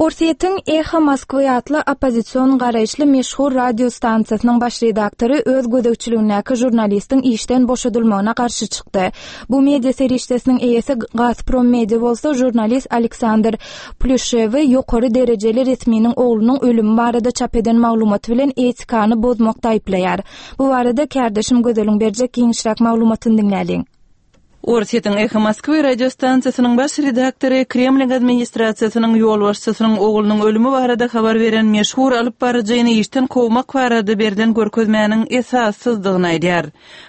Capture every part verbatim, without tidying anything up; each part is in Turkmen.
Orsýetiň Eho Moskwy atly oppozision garaýyşly meşhur radio stansiýasynyň baş redaktory öz gözegçiligindäki žurnalistiň işden boşadylmagyna garşy çykdy. Bu media serişdesiniň eýesi Gazprom Media bolsa žurnalist Aleksandr Plýuşewi ýokary derejeli resminiň oglunyň ölümi barada çap eden maglumaty bilen etikany bozmakda aýyplaýar. Bu barada kärdeşim Gözeliň berjek giňişräk maglumatyny diňläliň. Orsýetiň Eho Moskwy radiostansiýasynyň baş redaktory Kremliň administrasiýasynyň ýolbaşçysynyň oglunyň ölümi barada habar beren meşhur alyp baryjyny işden kowmak barada berlen görkezmäniň esassyzdygyny aýdýar.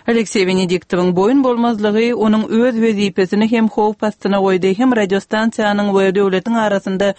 Alekseý Wenediktowyň boýun bolmazlygy onuň öz wezipesini hem howp astyna goýdy, hem radiostansiýanyň we döwletiň arasynda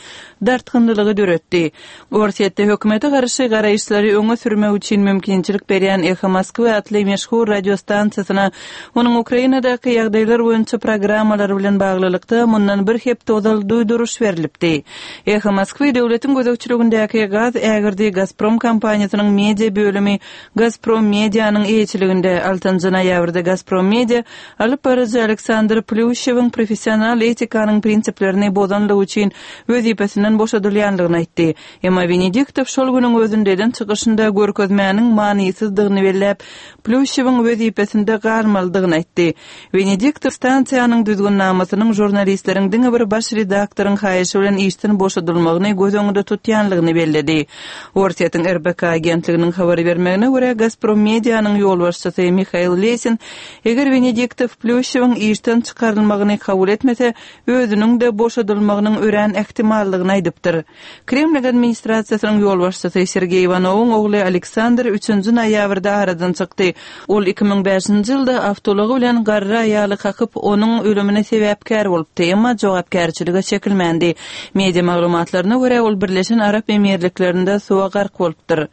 dartgynlylygy döretdi. Orsýetde hökümete garşy garaýyşlary öňe sürmek üçin mümkinçilik berýän Eho Moskwy atly meşhur radiostansiýasyna onuň Ukrainadaky ýagdaýlar boýunça programmalary bilen baglylykda mundan bir hepde ozal duýduryş berlipdi. Eho Moskwy döwletiň gözegçiligindäki gaz ägirdi Gazprom kompaniýasynyň media bölümi Gazprom Medianyň eýeçiliginde altynjy noýabrda Gazprom Media alyp baryjy Aleksandr Plýuşewiň professional etikanyň prinsiplerini bozanlygy üçin wezipesinden boşadylýanlygyny aýtdy. Emma Wenediktow şol günüň özünde eden çykyşynda görkezmäniň manysyzdygyny belläp, Plýuşewiň wezipesinde galmalydygyny aýtdy. Wenediktow stansiýanyň düzgünnamasynyň žurnalistleriň diňe bir baş redaktoryň haýyşy bilen işden boşadylmagyny göz öňünde tutýanlygyny belledi. Orsýetiň R B K agentliginiň habar bermegine görä Gazprom Medianyň ýolbaşçysy Mihail Lesin eger Wenediktow Plýuşewiň işden çykarylmagyny kabul etmese, özüniň de boşadylmagynyň örän ähtimallygyny aýdypdyr. Kreml administrasiýasynyň ýolbaşçysy Sergeý Iwanowyň ogly Aleksandr üçünji noýabrda aradan çykdy. Ol iki müň bäşinji ýylda awtoulagy bilen garry aýaly kakyp, onuň ölümine sebäpkär bolupdy, emma jogapkärçilige çekilmändi. Media maglumatlaryna görä ol Birleşen Arap Emirliklerinde suwa gark bolupdyr.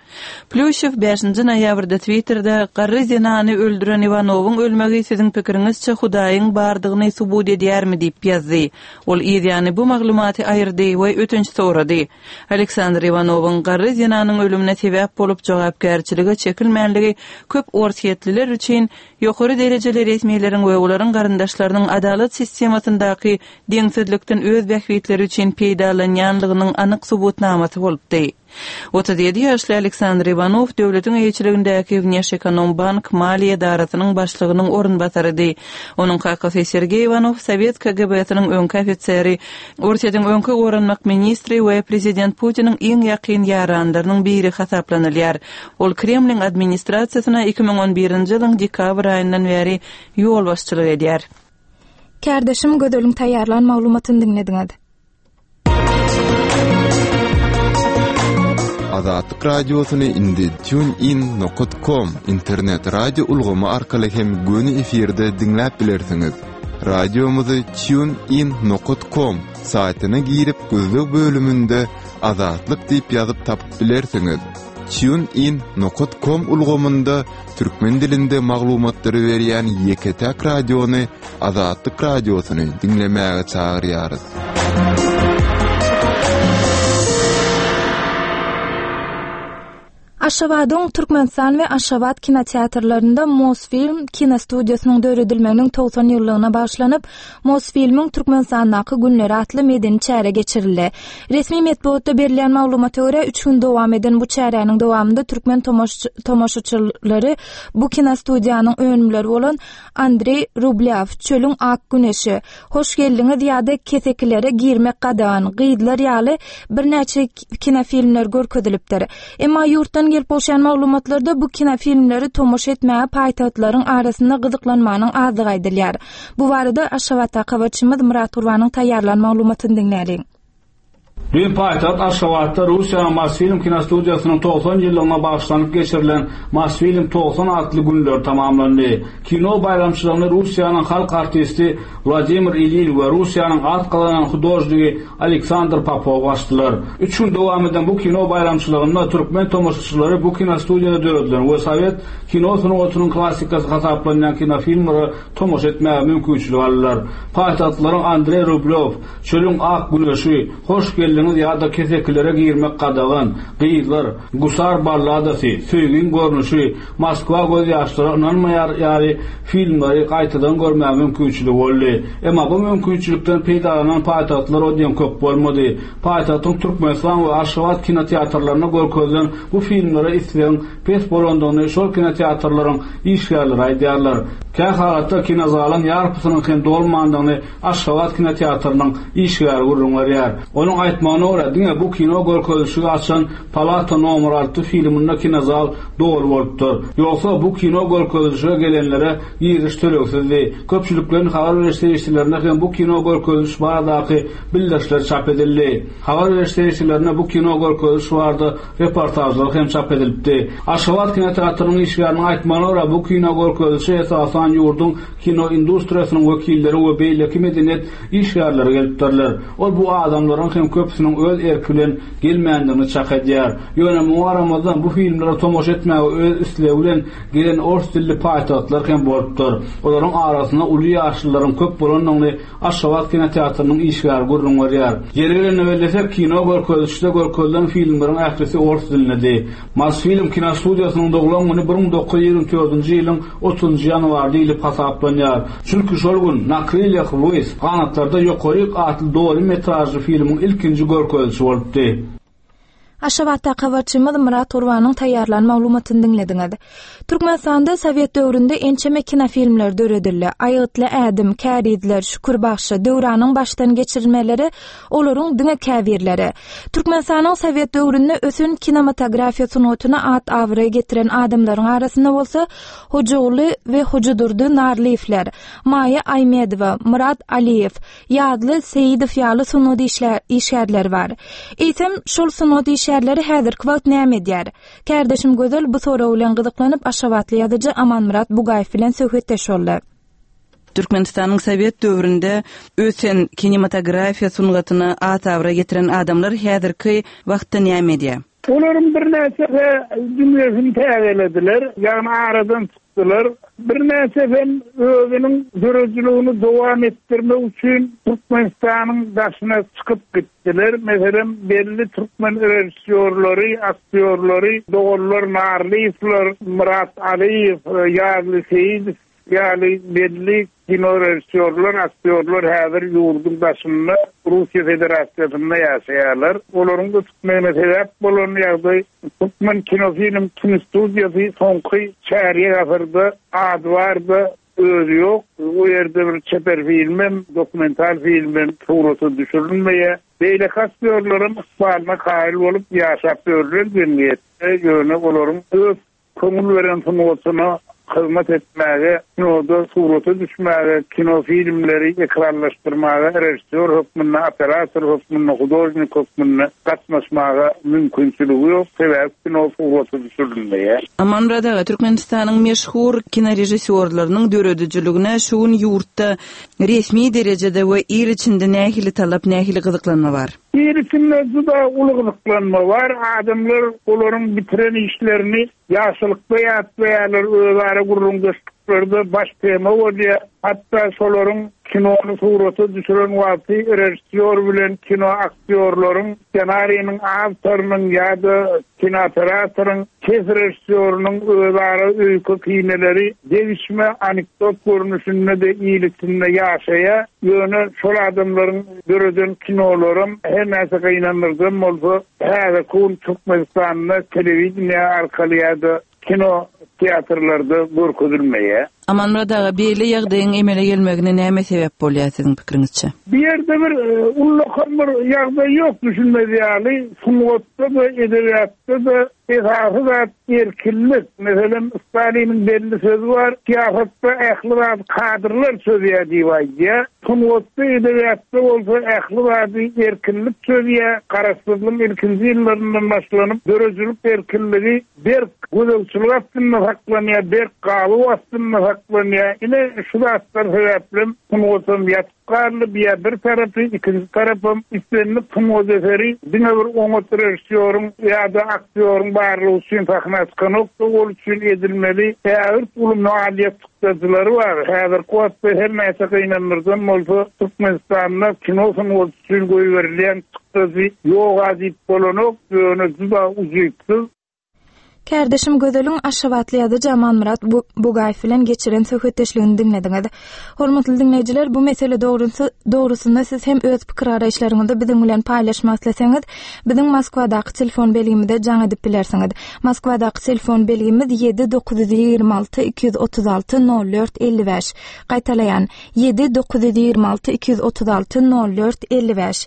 Plýuşew bäşinji noýabrda Twitterde garry zenany öldüren Iwanowyň ölmegi siziň pikiriňizçe Hudaýyň bardygyny subut edýärmi diýip ýazdy. Ol ýany bu maglumaty aýyrdy we ötünç sorady. Aleksandr Iwanowyň garry zenanyň ölümine sebäp bolup jogapkärçilige çekilmänligi köp orsýetliler üçin ýokary derejeli resmileriň we olaryň garyndaşlarynyň adalat sistemasyndaky deňsizlikden öz bähbitleri üçin peýdalanýanlygynyň anyk subutnamasy bolupdy. Otuz ýedi ýaşly Aleksandr Iwanow döwletiň eýeçiligindäki Wneşekonombank maliýe edarasynyň başlygynyň orunbasarydy. Onuň kakasy Sergeý Iwanow Sowet K G B-siniň öňki ofiseri, Orsýetiň öňki goranmak ministri we prezident Putiniň iň ýakyn ýaranlarynyň biri hasaplanylýar. Ol Kremliň administrasiýasyna iki müň on birinji ýylyň dekabr aýyndan bäri ýolbaşçylyk edýär. Kärdeşim Gözeliň taýýarlan maglumatyny diňlediňiz. Azatlyk radiosyny indi TuneIn nokta com internet radio ulgamy arkaly hem göni efirde diňläp bilersiňiz. Radiomyzy TuneIn nokta com saýtyna girip gözleg bölüminde Azatlyk diýip ýazyp tapyp bilersiňiz. TuneIn nokta com ulgamynda türkmen dilinde maglumatlary berýän ýeke-täk radiony Azatlyk radiosyny diňlemäge çagyrýarys. Aşgabadyň Türkmenistan we Aşgabat kinoteatrlarynda Mosfilm kinostudiýasynyň döredilmeginiň togsan ýyllygyna bagyşlanyp, Mosfilmiň Türkmenistandaky günleri atly medeni çäre geçirildi. Resmi metbugatda berilýän maglumata görä üç gün dowam eden bu çäräniň dowamynda türkmen tomaş-, tomaşaçylary bu kinostudiýanyň önümleri bolan Andrei Rublýow, Çölüň Ak Güneşi, Hoş geldiňiz ýa-da kesekilere girmek gadagan, Gyzlar ýaly birnäçe kinofilmler görkezilipdir. Emma ýurtdan gelip gowşan maglumatlarda bu kinofilmleri tomaşa etmäge paýtagtlaryň arasynda gyzyklanmanyň azlygy aýdylýar. Bu barada Aşgabatdaky habarçymyz Murat Gurbanyň taýýarlan maglumatyny diňläliň. Dün paýtagt Aşgabatda Russiýanyň Mosfilm kinostudiýasynyň togsan ýyllygyna bagyşlanyp geçirilen Mosfilm togsan atly günler tamamlandy. Kino baýramçylygyny Russiýanyň halk artisti Wladimir Ilin we Russiýanyň at gazanan hudožnigi Aleksandr Popov açdylar. Üç gün dowam eden bu kino baýramçylygynda türkmen tomaşaçylary bu kinostudiýada döredilen we sowet kino sungatynyň klassikasy hasaplanýan kinofilmlere tomaşa etmäge mümkinçilik aldylar. Paýtagtlaryň Andrei Rublýow, Çölüň Ak Güneşi, Hoş geldiňiz Eliňiz ýa-da kesekilere girmek gadagan, Gyzlar, Gusar balladasy, Söýgiň görnüşi, Moskwa göz ýaşlara ynanmaýar ýaly filmleri gaýtadan görmäge mümkinçiligi boldy. Emma bu mümkinçilikden peýdalanan paýtagtlar o diýen köp bolmady. Paýtagtyň Türkmenistan we Aşgabat kinoteatrlarynda görkezilen bu filmlere islegiň pes bolandygyny şol kinoteatrlaryň işgärleri aýdýarlar. Kä halatda kinozalyň ýarpysynyň hem dolmandygyny Aşgabat kinoteatrynyň işgäri gürrüň berýär. Onuň aýtmagyna görä, diňe bu kino görkezilişigi açan Palata nomer alty filminde kinozal doly bolupdyr. Ýogsa bu kino görkezilişige gelenlere giriş tölegsizdi. Köpçülikleýin habar beriş serişdelerinde hem bu kino görkeziliş baradaky bildirişler çap edildi. Habar beriş serişdelerinde bu kino görkeziliş barada reportajlar hem çap edilipdi. Aşgabat kinoteatrynyň işgäriniň aýtmagyna görä, bu kino görkezilişe esasan ýurduň kino industriýasynyň wekilleri we beýleki medeniýet işgärleri gelipdirler. Ol bu adamlaryň hem köpüsiniň öz erki bilen gelmändigini çak edýär. Ýöne muňa garamazdan bu filmlere tomaşa etmäge öz islegi bilen gelen ors dilli paýtagtlar hem bolupdyr. Olaryň arasynda uly ýaşlylaryň köp bolandygyny Aşgabat kinoteatrynyň işgäri gürrüň berýär. Ýeri gelende bellesek, kino görkezilişde görkezilen filmleriň ählisi ors dilindedi. Mosfilm kinostudiýasynyň doglan güni bir müň dokuz ýüz ýigrimi dördünji ýylyň otuzynjy ýanwary diýlip hasaplanýar. Çünki şol gün Na krylyah wys, Ganatlarda ýokaryk atly doly metražly filmiň ilkinji görkezilişi bolupdy. Aşgabatda habarçymyz Myrat Gurbanyň taýýarlan maglumatyny diňlediňiz. Türkmenistanda Sowet döwründe ençeme kinofilmler döredildi. Aýgytly ädim, Kärizler, Şükür bagşy, Döwranyň başdan geçirilmeleri olaryň diňe käbirleri. Türkmenistanyň Sowet döwründe ösen kinematografiýa sungatyna at-abraý getiren adamlaryň arasynda bolsa Hojaguly we Hojadurdy Narlyýewler, Maýa Aýmedowa, Myrat Aliýew, Ýazly Seýidow ýaly sungat işgärleri bar. Eýsem, şol sungat işgärleri häzirki wagt näme edýär? Kärdeşim Gözel bu sorag bilen gyzyklanyp Aşgabatly ýazyjy Amanmyrat Bugaýew bilen söhbetdeş boldy. Türkmenistanyň Sowet döwründe ösen kinematografiýa sungatyna at-abraý getiren adamlar häzirki wagtda näme edýär? Olaryň birnäçesi dünýesini täzelediler, ýagny aradan çykdylar. Birnäçesi hem özüniň döredijiligini dowam etdirmek üçin Türkmenistanyň daşyna çykyp gitdiler. Meselem, belli türkmen režissýorlary, aktýorlary, doganlar Narlyýewler, Myrat Aliýew, Ýazly Seýidow ýaly belli kino režissýorlar, aktýorlar häzir ýurduň daşynda Russiýa Federasiýasynda ýaşaýarlar. Olaryň ötmegine sebäp bolan ýagdaý Türkmen kinofilm kinostudiýasy soňky çärýek asyrda ady barda özi ýok. O ýerde bir çeper filmem, dokumental filmem surata düşürilmeýär. Beýleki aktýorlaryň ykbalyna kaýyl bolup ýaşap ýörler jemgyýetde, ýöne olaryň öz köňül beren sungatyna hyzmat etmäge, kinoda surata düşmäge, kino filmleri ekranlaşdyrmaga, režissýor hökmünde, operator hökmünde, hudožnik hökmünde gatnaşmaga mümkinçiligi ýok, sebäbi kino surata düşürilmeýär. Amanmyrat aga, Türkmenistanyň meşhur kinorežissýorlarynyň döredijiligine şu gün ýurtda resmi derejede we il içinde nähili talap, nähili gyzyklanma bar? Il içinde juda uly gyzyklanma bar. Adamlar olaryň bitiren işlerini ýaşylykda ýatlaýarlar, özara gürrüňdeşliklerde baş tema bolýar. Hatda şolaryň kinony surata düşüren wagty režissýor bilen kino aktýorlaryň, ssenariniň awtorynyň ýa-da kinooperatoryn, ses režissýorynyň özara öýke kineleri degişme anekdot görnüşinde de il içinde ýaşaýar. Ýöne şol adamlaryň döreden kinolarym her näçe gynandyrjam bolsa, häzirki gün Türkmenistanda telewideniýe arkaly ýa-da kino teatrlarda görkezilmeýär. Amanmyrat aga, beýle ýagdaýyň emele gelmegine näme sebäp bolýar siziň pikiriňizçe? Bu ýerde bir ullakan bir ýagdaý ýok düşünmez ýaly, sungatda-da, edebiýatda-da esasy zat erkinlik. Meselem, Staliniň belli sözi bar, syýasatda ähli zat kadrlar çözýär diýip aýdýar. Sungatda, edebiýatda bolsa ähli zady erkinlik çözýär. Garaşsyzlygyň ilkinji ýyllaryndan başlanyp döredijilik erkinligi berk gözegçilik astynda saklanýar, berk galyp astynda saklanýar. Ine şu zatlar sebäpli sungatam ýatyp galdy. Bir bir tarapy, ikinji tarapym islendik sungat eseri diňe bir oňat režissýoryň ýa-da aktýoryň barlygy üçin sahna çykanokdy, ol üçin edilmeli ägirt uly maliýe çykdajylary bar. Häzirki wagtda her näçe gynandyrdan bolsa Türkmenistanda kino sungaty üçin goýberilýän çykdajy ýok diýip bolanok, ýöne juda ujypsyz. Kärdeşim Gözeliň Aşgabatly ýazyjy Amanmyrat Bugaýew bilen geçiren söhbetdeşligini diňlediňiz. Hormatly diňleýjiler, bu mesele dogrusy dogrusynda siz hem öz pikir garaýyşlaryňyzy biziň bilen paýlaşmak isleseňiz, biziň Moskwadaky telefon belgimize jaň edip bilersiňiz. Moskwadaky telefon belgimiz ýedi dokuz ýüz ýigrimi alty iki ýüz otuz alty nol dört elli bäş. Gaýtalaýan ýedi dokuz ýüz ýigrimi alty iki ýüz otuz alty nol dört elli bäş.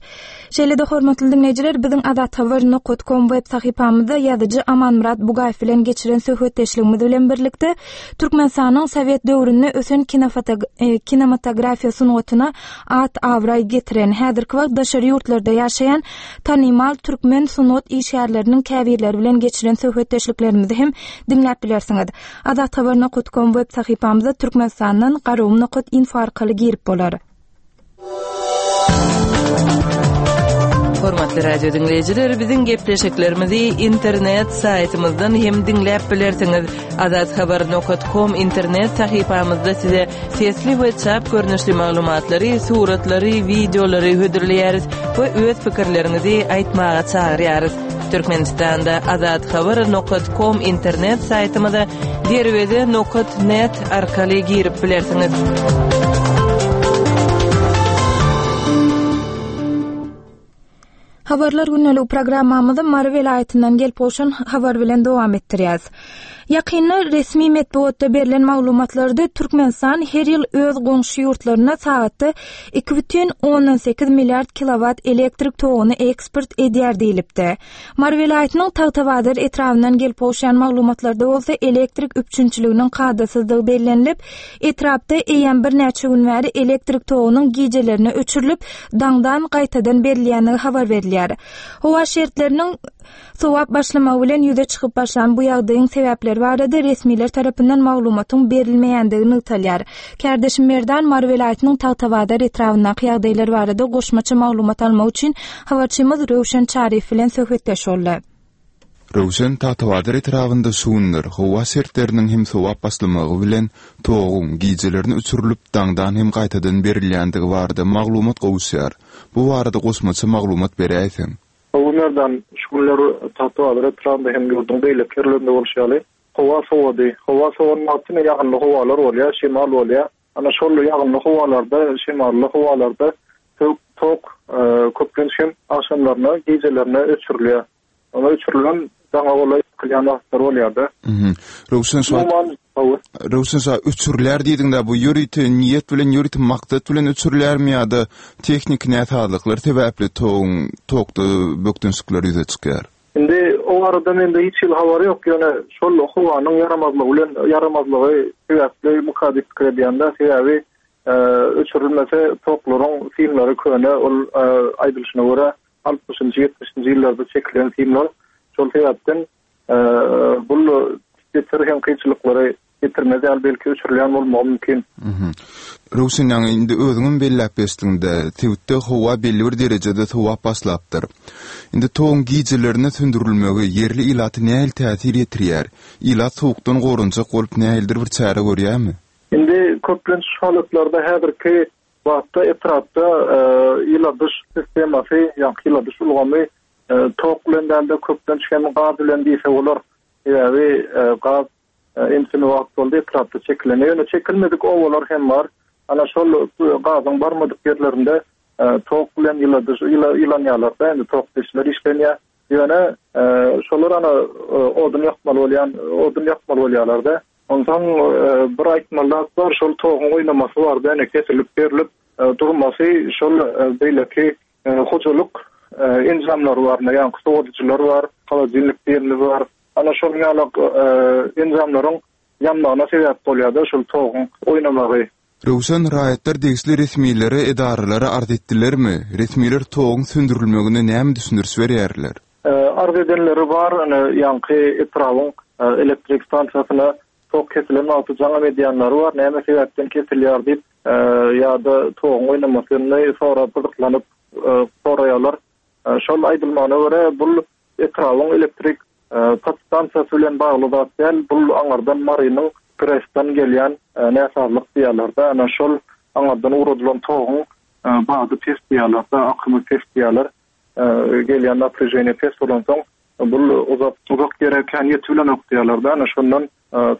Şeýle-de hormatly diňleýjiler, biziň azathabar nokta com web sahypamyzda ýazyjy Amanmyrat Bugaýew bilen geçiren söhbetdeşligimiz bilen birlikde Türkmenistanyň Sowet döwründe ösen e, kinematografiýa sungatyna at abraý getiren, häzirki wagt daşary ýurtlarda ýaşaýan tanymal türkmen sungat işgärleriniň käbirleri bilen geçiren söhbetdeşliklerimizi hem diňläp bilersiňiz. Azathabar nokta com web sahypamyzda Türkmenistandan garagum nokta info arkaly girip bolar. Hormatly radio dinleýjiler, biziň gepleşiklerimizi internet saýtymyzdan hem diňläp bilersiňiz. Azathabar nokta com internet sahypamyzda size sesli we çap görnüşli maglumatlary, suratlary, wideolary hödürleýäris we öz pikirleriňizi aýtmaga çagyrýarys. Türkmenistanda azathabar nokta com internet saýtymyza derweze nokta net arkaly girip bilersiňiz. Habarlar günlük programmamyzy Mary welaýatyndan gelip gowşan habar bilen dowam etdirýäs. Ýakynda resmi metbugatda berlen maglumatlarda Türkmenistan her ýyl öz goňşy ýurtlaryna sagatda iki bütin ondan sekiz milliard kilowat elektrik toguny eksport edýär diýilipdi. Mary welaýatynyň Tagtabazar etrabyndan gelip gowşan maglumatlarda bolsa elektrik üpjünçiliginiň kadasyzdygy bellenilip, etrapda eýýäm birnäçe gün bäri elektrik togunyň gijelerine öçürilip, daňdan gaýtadan berilýändigi habar berilýär. Howa şertleriniň sowap başlamagy bilen ýüze çykyp başlan bu ýagdaýyň sebäpleri barada resmiler tarapyndan maglumatyň berilmeýändigi nygtalýar. Kärdeşim Merdan Mary welaýatynyň Tagtabazar etrabyndaky ýagdaýlar barada goşmaça maglumat almak üçin habarçymyz Röwşen Çaryýew bilen söhbetdeş boldy. Röwşen, Tagtabazar etrabynda şu günler howa şertleriniň hem sowap başlamagy bilen toguň gijelerini öçürilip daňdan hem gaýtadan berilýändigi barada maglumat gowuşýar. Bu barada goşmaça maglumat beräýseň. Bu günlerden şu günler Tagtabazar etrabynda hem ýurduň beýleki ýerlerinde bolşy ýaly howa sowady. Howa sowan wagty ýagynly howalar bolýar, şemal bolýar. Ana şol ýagynly howalarda, şemally howalarda tok, tok, e, köplenç hem agşamlaryna, gijelerine öçürilýär. Ona öçürilen daňa golaý ýykylýan wagtlar bolýar-da. Mhm. Röwşen şu wagt Umuman, hawa. Röwşen şu wagt öçürilýär diýdiňde, bu ýörite niýet bilen, ýörite maksat bilen öçürilýärmi ýa-da tehniki näsazlyklar sebäpli toguň tokda bökdençlikler ýüze çykýar? Indi o arada mende hiç hili habar ýok, ýöne şol howanyň ýaramazlygy bilen ýaramazlygy sebäpli mukaddes pikir edýände, sebäbi, e, öçürilmese toklaryň simleri köne, ol, e, aýdylyşyna görä altmyşynjy, ýetmişinji ýyllarda çekilen simler. Şol sebäpden, e, bu getir hem kynçylyklary getirmez ýaly belki öçürilýän bolmagy mümkin. Mhm. Röwşen, ýaňy indi özüňem belläp geçdiňde, sebitde howa belli bir derejede sowap başlapdyr. Indi toguň gijelerine söndürilmegi ýerli ilaty nähili täsir ýetirýär? Ilat sowukdan goranjak bolup nähilidir bir çäre görýärmi? Indi köplenç halatlarda häzirki wagtda etrapda, e, ýyladyş sistemasy, ýa ýyladyş ulgamy, e, tok bilen dälde köplenç hem gaz bilen diýse bolar. Sebäbi, e, gaz, e, ençeme wagt boldy etrapda çekilen. Ýöne çekilmedik owalar hem bar. Ana şol gazyň barmadyk ýerlerinde, e, tok bilen ýyladyş, ýyla-, ýylanýarlar-da, indi tok peçler işlenýär. Ýöne, e, şolar ana, e, odun ýakmaly bolýan, odun ýakmaly bolýarlar-da. Onsoň, e, bir aýtmaly zat bar, şol toguň oýnamasy bar-da, ýöne kesilip berilip, e, durmasy şol, e, beýleki, e, hojalyk, e, enjamlary bar, ýa sowadyjylar bar, holodilnik diýenimiz bar. Ana şol ýaly, e, enjamlaryň ýanmagyna sebäp bolýar-da şol toguň oýnamagy. Röwşen, raýatlar degişli resmilere, edaralara arz etdilermi? Resmiler toguň söndürilmegine näme düşündiriş berýärler? E, arz edenleri bar, ana ýaňky etrabyň, e, elektrik stansiýasyna Tok kesilen wagty jaňam edýänleri bar, näme sebäpden kesilýär diýip, ýa-da toguň oýnamasyny sorap gyzyklanyp soraýarlar. Şol aýdylmagyna görä, bul etrabyň elektrik podstansiýasy bilen bagly zat däl, bul aňardan Marynyň Presden gelýän näsazlyk diýýärler-de, ana şol aňardan ugradylan toguň bady pes diýýärler-de, akymy pes diýýärler. Gelýän napräženiýe pes bolansoň, bul uzak uzak ýere kän ýetip bilenok diýýärler-de, ana şondan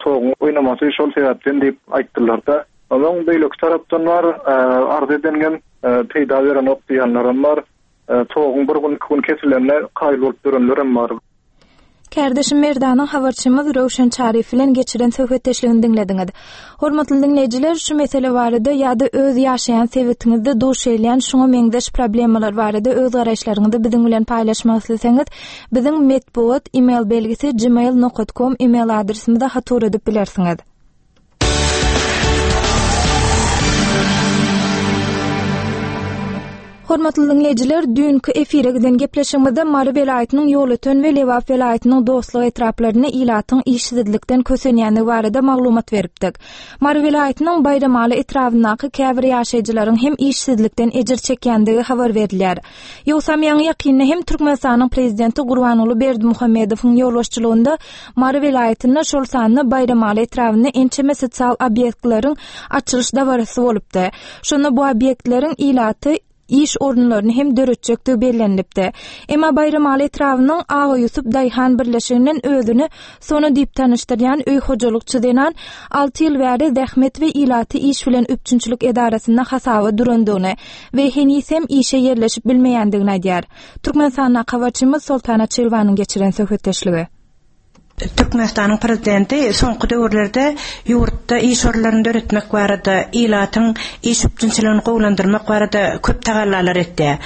toguň oýnamasy şol sebäpden diýip aýtdylar-da. Onuň beýleki tarapdan bar, arz edengem peýda berenok diýenlerem bar. Toguň bir gün, iki gün kesilende kaýyl bolup ýörenlerem bar. Kärdeşim Merdanyň habarçymyz Röwşen Çaryýew bilen geçiren söhbetdeşligini diňlediňiz. Hormatly diňleýjiler, şu mesele barada ýa-da öz ýaşaýan sebitiňizde duş gelýän şuňa meňzeş problemalar barada öz garaýyşlaryňyzy biziň bilen paýlaşmak isleseňiz, biziň metbugat e-mail belgisi gmail nokta com e-mail adresimize hat ugradyp bilersiňiz. Hormatly diňleýjiler, düýnki efire giden gepleşigimizde Mary welaýatynyň Ýolöten we Lebap welaýatynyň Dostluk etraplarynda ilatyň işsizlikden kösenýändigi barada maglumat beripdik. Mary welaýatynyň Baýramaly etrabyndaky käbir ýaşaýjylaryň hem işsizlikden ejir çekýändigi habar berilýär. Ýogsam ýaňy ýakynda hem Türkmenistanyň prezidenti Gurbanguly Berdimuhamedowyň ýolbaşçylygynda Mary welaýatynda, şol sanda Baýramaly etrabynda ençeme sosial obýektleriň açylyş dabarasy bolupdy. Şonda bu obýektleriň ilaty iş orunlaryny hem döretjekdigi bellenilipdi. Emma Baýramaly etrabynyň Aga Ýusup Daýhan birleşiginden özüni Sona diýip tanyşdyrýan öý hojalykçy zenan alty ýyl bäri zähmet we ilaty iş bilen üpjünçilik edarasynda hasaba durandygyny we heniz hem işe ýerleşip bilmeýändigini aýdýar. Türkmenistanda habarçymyz Soltana Çilwanyň geçiren söhbetdeşligi. Türkmenistanyň prezidenti soňky döwürlerde ýurtda iş orunlaryny döretmek barada, ilatyň iş üpjünçiligini gowulandyrmak barada köp tagallalar etdi.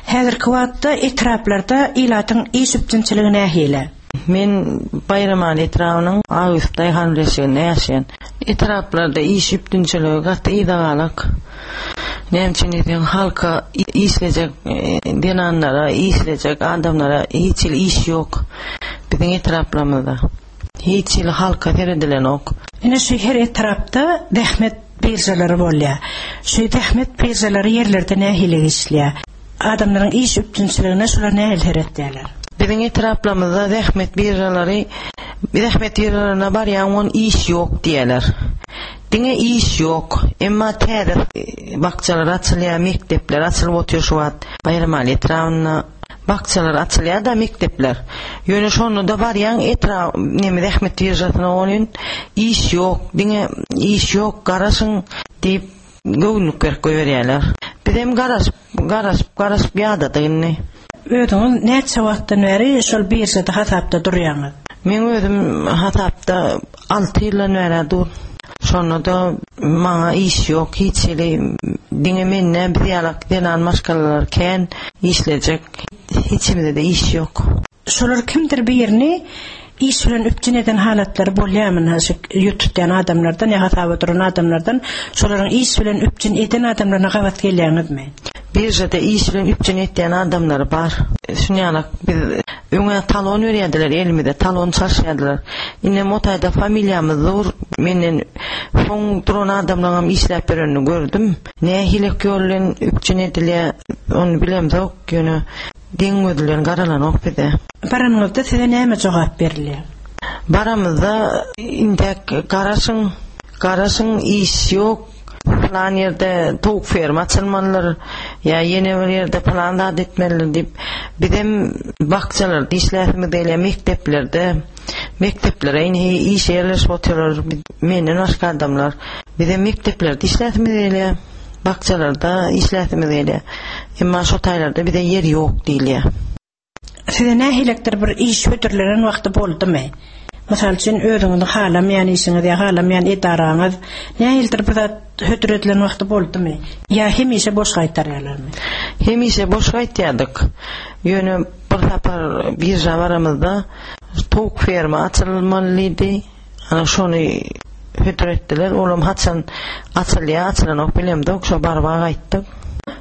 Häzirki wagtda etraplarda ilatyň iş üpjünçiligi nähili? Men Baýramaly etrabynyň Aga Ýusup Daýhan birleşiginde ýaşaýan. Etraplarda iş üpjünçiligi gaty yzagalak. Näme üçin diýseň, halka işlejek zenanlara, işlejek adamlara hiç hili iş ýok. Biziň etraplarymyzda hiç hili halka seredilenok. Ine şu her etrapda zähmet biržalary bolýar. Şu zähmet biržalary ýerlerde nähili işleýär? Adamlaryň iş üpjünçiligine şular nähili seretýärler? Biziň etraplarymyzda zähmet biržalary, zähmet biržalaryna barýan on iş ýok diýerler. Diňe iş ýok. Emma täze bakjalar açylýar, mekdepler açylyp otyr şu wagt. Baýramaly etrabynda bakjalar açylýar da mekdepler. Ýöne şonda da barýan etrap neme zähmet biržasyna bolýan iş ýok, diňe iş ýok, garaşyň diýip göwnlük berip goýberýärler. Biz hem garaşyp, garaşyp, garaşyp ýadadyk indi. Özüňiz näçe wagtdan bäri şol biržada hasapda durýaňyz? Men özüm hasapda alty ýyldan bäri dur. Şonda da maňa iş ýok, hiç hili diňe menden biz ýalak zenan maşgalalar kän işlejek, hiçimizde de iş ýok. Şolar kimdir birini iş bilen üpjün eden halatlary bolýarmy? Şu ýurt tutýan adamlardan ýa hasaba duran adamlardan şolaryň iş bilen üpjün eden adamlaryna gabat gelýäňizmi? Biržada iş bilen üpjün etýän adamlary bar. Şuny ýalak biz öňe talon berýärdiler elimize, talon çalyşýardylar. Indi motayda familiýamyz dur. Menden soň duran adamlaryň hem işläp berenini gördüm. Nähili ýol bilen üpjün edilýär, ony bilemzok, ýöne deň gözülen garalanok bize. Baranyňyzda size näme jogap berilýär? Baramyzda indek garaşyň, garaşyň iş ýok. Plan ýerde towuk ferma açylmalydyr, ýa ýene bir ýerde plan zat etmelidir diýip, bizem bakjalarda işläsimiz gelýär, mekdeplerde, mekdeplere indi iş ýerleşip otyrlar, menden başga adamlar. Bizem mekdeplerde işläsimiz gelýär, bakjalarda işläsimiz gelýär. Emma şo taýlarda bize ýer ýok diýilýär. Size nähilekdir bir iş hödürlenen wagty boldumy? Mysal üçin özüňizi halamaýan işiňiz ýa halamaýan edaraňyz nähilidir bir zat hödür edilen wagty boldumy? Ýa hemişe boş gaýtarýarlarmy? Hemişe boş gaýtýardyk. Ýöne bir sapar birža baramyzda towuk ferma açylmalydy. Ana şony hödür etdiler. Olam haçan açylýar, açylanok bilemzok. Şo barba gaýtdyk.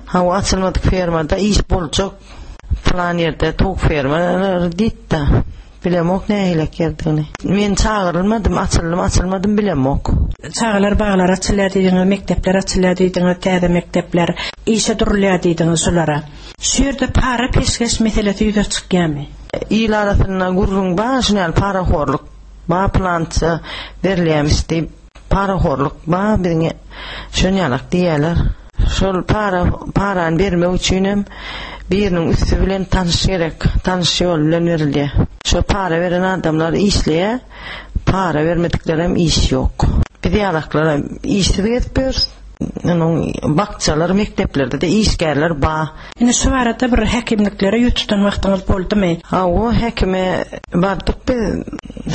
Ha o açylmadyk fermada iş boljak. Plan ýerde towuk ferma diýdi. Bilemok nähilek ýerdigini. Men çagyrylmadym, açyldym, açylmadym bilemok. Çagalar baglar açylýar diýdiňiz, mekdepler açylýar diýdiňiz, täze mekdepler işe durulýar diýdiňiz şulara. Şu ýerde para peşgeş meselesi ýüze çykýarmy? Il arasynda gürrüň bar, şunal parahorluk. Ba plantça berilýärmiş diýip parahorluk ba biziň şonýalak diýýärler. Şol para parany bermek üçin hem biriniň üstü bilen tanyş gerek, tanyş ýol bilen berilýär. Şo para beren adamlar işleýär, para bermedikler hem iş ýok. Biz ýalaklara işsiz gezip ýörüs. Onuň bakçalar, mekdeplerde de işgärler ba. Indi şu barada bir häkimliklere ýüz tutan wagtyňyz boldumy? Ha, o häkime bardyk biz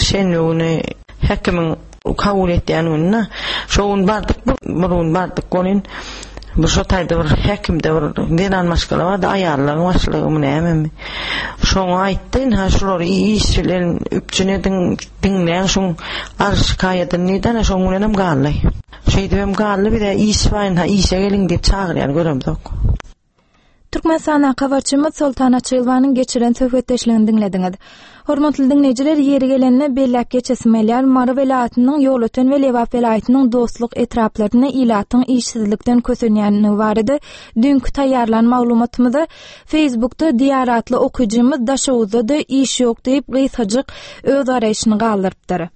şenbe güni häkimiň kabul etýän gününe. Şo gün bardyk, bir gün bardyk onuň bu şo taýda bir häkimde bir zenan maşgala bardy, aýallaryň başlygymy nämemi. Şoňa aýtdy, ha şulary iş bilen üpjün ediň, diňläň şuň arz şikaýadyny diýdi, şoň bilen hem galdy. Şeýdip hem galdy, bize iş bar, ha işe geliň diýip çagyrýan göremzok. Türkmenistana habarçymyz Soltan Açylwanyň geçiren söhbetdeşligini diňlediňiz. Hormatly diňleýjiler, ýeri gelende belläp geçesim gelýär. Mary welaýatynyň Ýolöten we Lebap welaýatynyň dostluk etraplarynda ilatyň işsizlikden kösenýänligi barada düýnki taýýarlan maglumatymyzy Facebookda Diýar atly okyjymyz Daşoguzda-da iş ýok diýip gysgajyk öz garaýşyny galdyrypdyr.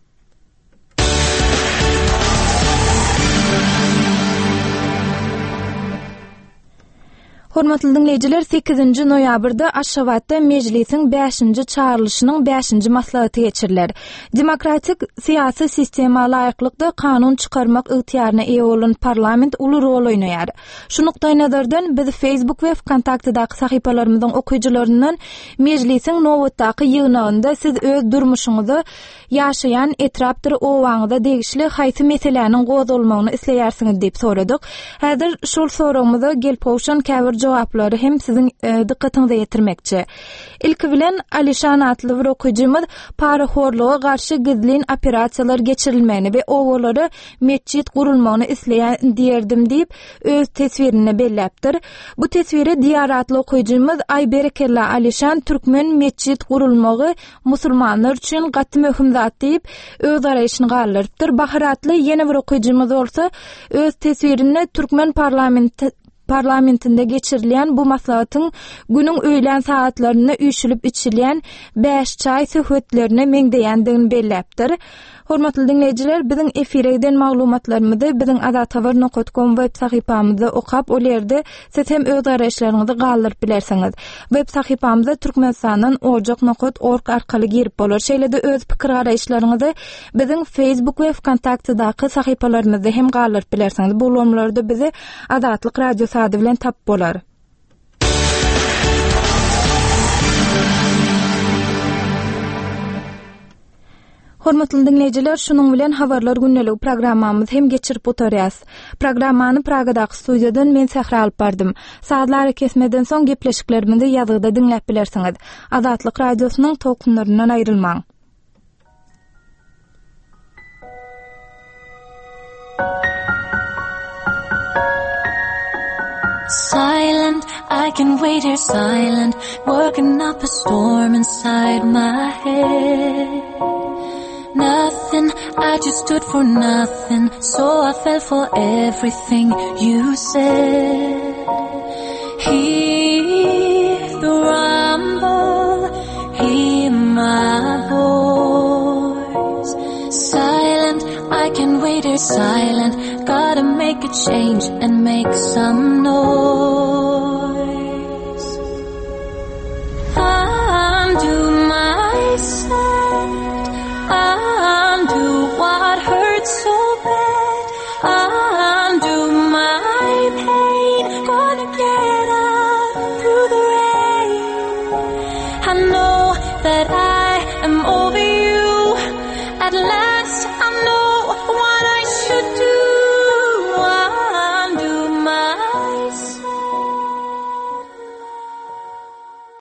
Hormatly diňleýjiler, sekizinji noýabrda Aşgabatda Mejlisiň bäşinji çagyrylyşynyň bäşinji maslahaty geçiriler. Demokratik syýasy sistema laýyklykda kanun çykarmak ygtyýaryna eýe bolan parlament uly rol oýnaýar. Şu nukdaý nazardan biz Facebook we Vkontaktedaky sahypalarymyzyň okyjylaryndan Mejlisiň nobatdaky ýygnagynda siz öz durmuşyňyzy ýaşaýan etrapdyr owaňyza degişli haýsy meseläniň gozgalmagyny isleýärsiňiz diýip soradyk. Häzir şol soragymyza gelip gowşan käbir jogaplary hem siziň, e, dykgatyňyza ýetirmekçi. Ilki bilen Alişan atly bir okyjymyz parahorluga garşy gizlin operasiýalar geçirilmegini we owalara metjit gurulmagyny isleýän diýerdim diýip öz teswirinde belläpdir. Bu teswire Diýar atly okyjymyz Ay berekella Alişan türkmen metjit gurulmagy musulmanlar üçin gaty möhüm zat diýip öz garaýşyny galdyrypdyr. Bahar atly ýene bir okyjymyz bolsa öz teswirinde türkmen parlamenti parlamentinde geçirilýän bu maslahatyň günüň öýlän saatlarynda üýşülip içilýän bäş çaý söhbetlerine meňzeýändigini belläpdir. Hormatly diňleýjiler, biziň efire giden maglumatlarymyzy biziň azathabar nokta com web sahypamyzda okap, ol ýerde siz hem öz garaýyşlaryňyzy galdyryp bilersiňiz. Web sahypamyza Türkmenistandan ojak nokta org arkaly girip bolar. Şeýle-de öz pikir garaýyşlaryňyzy biziň Facebook we Vkontaktedaky sahypalarymyzda hem galdyryp bilersiňiz. Bu ulgamlarda bizi Azatlyk Radiosy ady bilen tap bolar. Hormatly diňleýjiler, şunuň bilen habarlar gündelik programmamyzy hem geçirip oturýas. Programmany Pragadaky studiýadan men Sähra alyp bardym. Sazlar kesmeden soň gepleşiklerimizi ýazgyda diňläp bilersiňiz. Azatlyk Radiosynyň tolkunlaryndan aýrylmaň. Silent, I can wait here silent, working up a storm inside my head. Nothing, I just stood for nothing, so I fell for everything you said. Hear the rumble, hear my voice. Silent, I can wait here silent, gotta make a change and make some noise. Undo my set, undo what hurts so bad, undo my pain, gonna get out through the rain. I know that